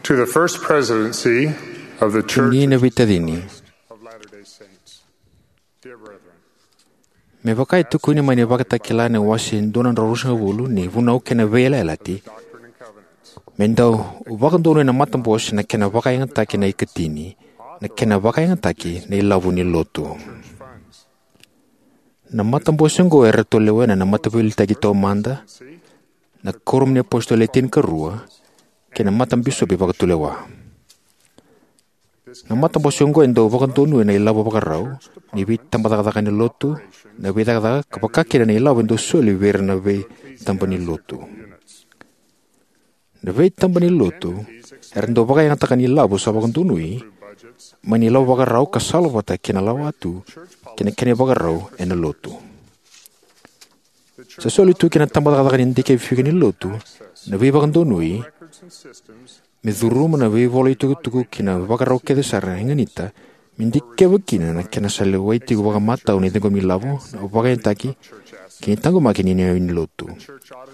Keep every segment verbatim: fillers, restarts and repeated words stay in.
To the First Presidency of the Church Ni na veitacini. Of Latter-day Saints. Dear brethren, me vaka e tukuni mai na iVakatakila na wase dua na drau ruasagavulu ni Vunau kei na Veiyalayalati, Doctrine and Covenants, me dau vakadonuya na matabose na kena vakayagataki na ikatini, na kena vakayagataki na ilavo ni lotu. Church funds. Na matabose oqo eratou lewena na Mataveiliutaki Taumada, na Kuoramu ni iApositolo Le Tinikarua, kei na Matabisopi Vakatulewa. Na matabose oqo e dau vakadonuya na ilavo vakarau ni veitabacakacaka ni lotu, na veicakacaka, ka vaka kina na ilavo e dau soli vei ira na veitaba ni lotu. Na veitaba ni lotu era dau vakayagataka na ilavo sa vakadonui mai na ilavo vakarau ka salavata kei na lawatu kei na kena ivakarau ena lotu. Sa soli tu ki na tabacakacaka ni dikevifika ni lotu na veivakadonui me curuma na veivola itukutuku kei na vakarau kece sara e ganita me dikeva kina na kena sa lewai tiko vakamatau na ciqomi ilavo, na vakayagataki kei na taqomaki ni iyau ni lotu.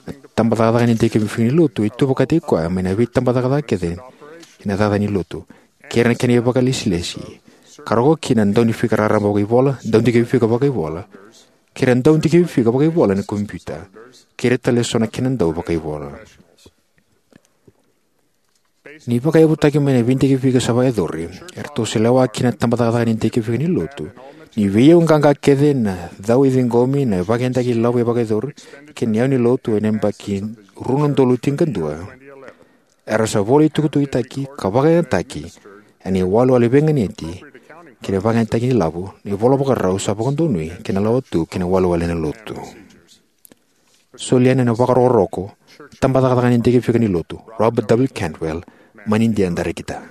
Na tabacakacaka ni dikevifika ni lotu e tu vakataki koya mai na veitabacakacaka kece kei na cakacaka ni lotu, kei ira na kena ivakalesilesi, ka rogo kina na daunifika raraba vakaivola, daudikevifika vakaivola, kei ira na daudikevifika vakaivola ena kompiuta, kei ira tale eso na kena dau vakaivola. Ni vakayavutaki mai na veidikevifika sa vakayacori, eratou sa lewa kina na tabacakacaka ni dikevifika ni lotu ni veiyau qaqa kece, na cau e ciqomi, na vakayagataki ilavo e vakayacori, kei na iyau ni lotu ena yabaki rua na udolu tinikadua, era sa vola itukutukutaki ka vakayagataki ena iwalewale veiganiti kei na vakayagataki ni ilavo, na ivola vakarau sa vakadonui kei na lawatu kei na iwalewale ena lotu. Soli yani ena vakarokoroko, tabacakacaka ni dikevifika ni lotu, Robert W. Cantwell, mai Idia, Darekita.